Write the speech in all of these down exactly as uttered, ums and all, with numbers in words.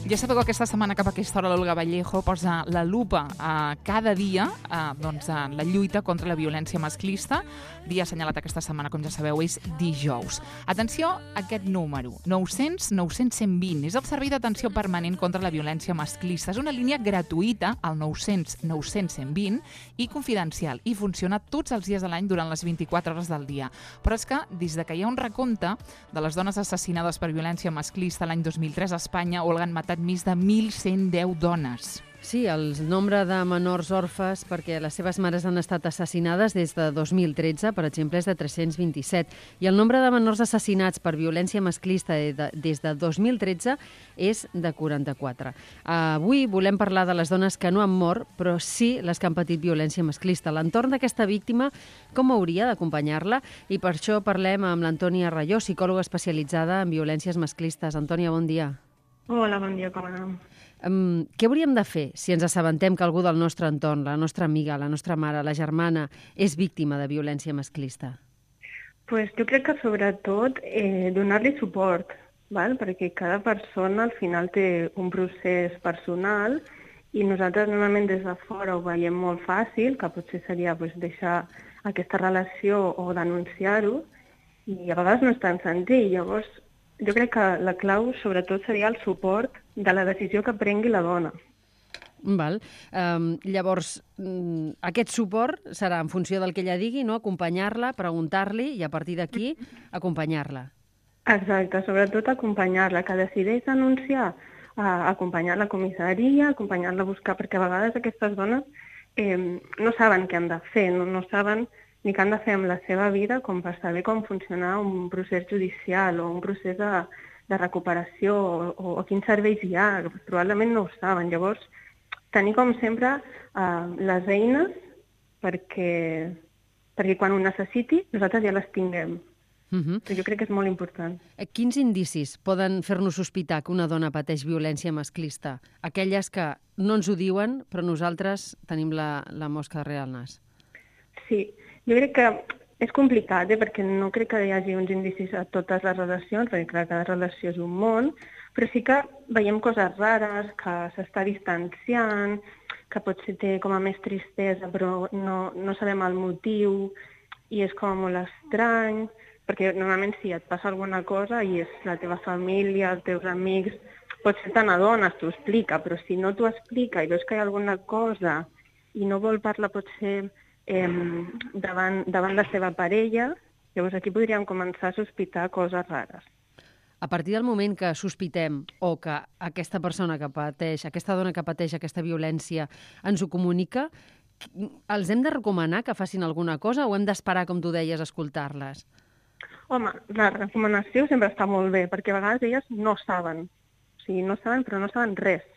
Ja sabeu que aquesta setmana cap a aquesta hora l'Olga Vallejo posa la lupa a cada dia a, doncs, a la lluita contra la violència masclista. Dia assenyalat aquesta setmana, com ja sabeu, és dijous. Atenció a aquest número, nou-cents nou cents cent vint. És el servei d'atenció permanent contra la violència masclista. És una línia gratuïta, al nou-cents nou cents cent vint, i confidencial, i funciona tots els dies de l'any durant les vint-i-quatre hores del dia. Però és que, des de que hi ha un recompte de les dones assassinades per violència masclista l'any dos mil tres a Espanya, Olga, han matat més de mil cent deu dones. Sí, el nombre de menors orfes perquè les seves mares han estat assassinades des de dos mil tretze, per exemple, és de tres-cents vint-i-set. I el nombre de menors assassinats per violència masclista des de dos mil tretze és de quaranta-quatre. Avui volem parlar de les dones que no han mort, però sí les que han patit violència masclista. L'entorn d'aquesta víctima, com hauria d'acompanyar-la? I per això parlem amb l'Antònia Rayó, psicòloga especialitzada en violències masclistes. Antònia, bon dia. Hola, bon dia, com anem? Um, què hauríem de fer si ens assabentem que algú del nostre entorn, la nostra amiga, la nostra mare, la germana, és víctima de violència masclista? Pues jo crec que sobretot eh, donar-li suport, val? Perquè cada persona al final té un procés personal i nosaltres normalment des de fora ho veiem molt fàcil, que potser seria pues, deixar aquesta relació o denunciar-ho, i a vegades no és tan senzill. Llavors, jo crec que la clau, sobretot, seria el suport de la decisió que prengui la dona. Val. Um, llavors, um, aquest suport serà en funció del que ella digui, no? Acompanyar-la, preguntar-li i a partir d'aquí acompanyar-la. Exacte, sobretot acompanyar-la, que decideix denunciar, uh, acompanyar la comissaria, acompanyar-la a buscar, perquè a vegades aquestes dones eh, no saben què han de fer, no, no saben ni què han de fer amb la seva vida com per saber com funcionar un procés judicial o un procés de, de recuperació o, o, o quins serveis hi ha. Probablement no ho saben. Llavors, tenir com sempre eh, les eines perquè, perquè quan ho necessiti nosaltres ja les tinguem. Uh-huh. Jo crec que és molt important. Quins indicis poden fer-nos sospitar que una dona pateix violència masclista? Aquelles que no ens ho diuen, però nosaltres tenim la, la mosca darrere el nas. Sí, jo crec que és complicat, eh, perquè no crec que hi hagi uns indicis a totes les relacions, perquè clar, cada relació és un món, però sí que veiem coses rares, que s'està distanciant, que potser té com a més tristesa, però no, no sabem el motiu, i és com molt estrany, perquè normalment si et passa alguna cosa i és la teva família, els teus amics, potser te n'adones, t'ho explica, però si no t'ho explica i veus que hi ha alguna cosa i no vol parlar potser Eh, davant, davant la seva parella, llavors aquí podríem començar a sospitar coses rares. A partir del moment que sospitem o que aquesta persona que pateix, aquesta dona que pateix aquesta violència ens ho comunica, els hem de recomanar que facin alguna cosa o hem d'esperar, com tu deies, a escoltar-les? Home, la recomanació sempre està molt bé, perquè a vegades elles no saben. O sigui, no saben, però no saben res.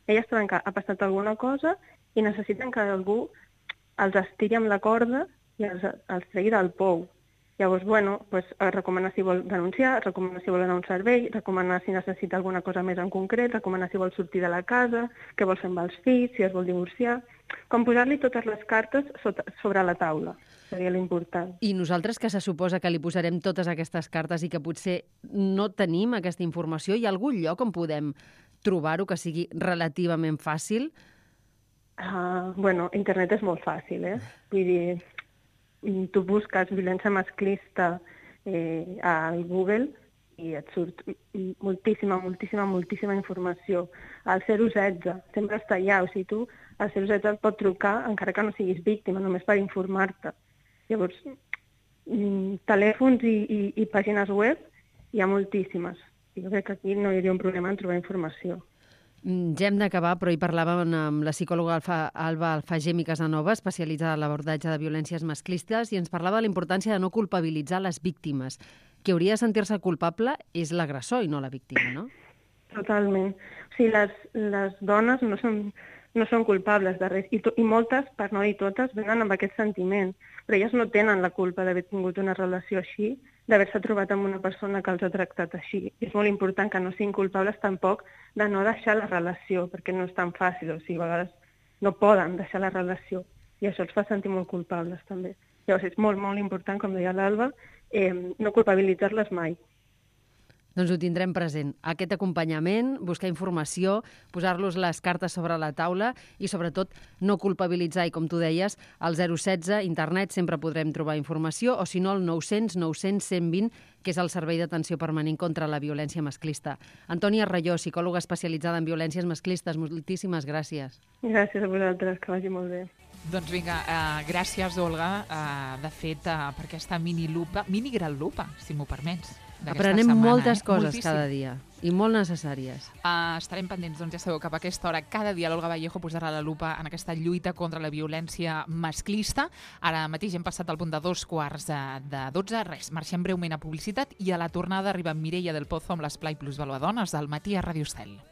Elles saben que ha passat alguna cosa i necessiten que algú els estiri amb la corda i els, els tregui del pou. Llavors, bueno, pues, recomanar si vol denunciar, recomanar si vol anar a un servei, recomanar si necessita alguna cosa més en concret, recomanar si vol sortir de la casa, què vol fer amb els fills, si es vol divorciar, com posar-li totes les cartes sota, sobre la taula, seria l'important. I nosaltres, que se suposa que li posarem totes aquestes cartes i que potser no tenim aquesta informació, hi ha algun lloc on podem trobar-ho que sigui relativament fàcil? Uh, bueno, internet és molt fàcil, eh? Vull dir, tu busques violència masclista eh, a Google i et surt moltíssima, moltíssima, moltíssima informació. El zero setze sempre està allà, o sigui, tu al zero setze et pot trucar encara que no siguis víctima, només per informar-te. Llavors, telèfons i, i, i pàgines web hi ha moltíssimes. Jo crec que aquí no hi hauria un problema en trobar informació. Ja hem d'acabar, però hi parlàvem amb la psicòloga Alfa, Alba Alfagem i Casanova, especialitzada en l'abordatge de violències masclistes, i ens parlava de la importància de no culpabilitzar les víctimes. Qui hauria de sentir-se culpable és l'agressor i no la víctima, no? Totalment. O sigui, les, les dones no són, no són culpables de res, i, to, i moltes, per no dir totes, venen amb aquest sentiment, però elles no tenen la culpa d'haver tingut una relació així, d'haver-se trobat amb una persona que els ha tractat així. És molt important que no siguin culpables tampoc de no deixar la relació, perquè no és tan fàcil, o sigui, a vegades no poden deixar la relació, i això els fa sentir molt culpables també. Llavors és molt, molt important, com deia l'Alba, eh, no culpabilitzar-les mai. Doncs ho tindrem present. Aquest acompanyament, buscar informació, posar-los les cartes sobre la taula i, sobretot, no culpabilitzar. I, com tu deies, al zero setze, internet, sempre podrem trobar informació, o si no, el nou cents nou cents cent vint, que és el Servei d'Atenció Permanent contra la Violència Masclista. Antònia Rayó, psicòloga especialitzada en violències masclistes, moltíssimes gràcies. Gràcies a vosaltres, que vagi molt bé. Doncs vinga, uh, gràcies, Olga, uh, de fet, uh, per aquesta mini-lupa, mini-gran lupa, si m'ho permets. Aprenem setmana, moltes eh? coses Moltíssim. cada dia, i molt necessàries. Uh, estarem pendents, doncs ja sabeu, cap a aquesta hora. Cada dia l'Olga Vallejo posarà la lupa en aquesta lluita contra la violència masclista. Ara mateix hem passat al punt de dos quarts de dotze. Res, marxem breument a publicitat i a la tornada arriba Mireia del Pozo amb l'Esplai Plus Valuadones del matí a Ràdio Estel.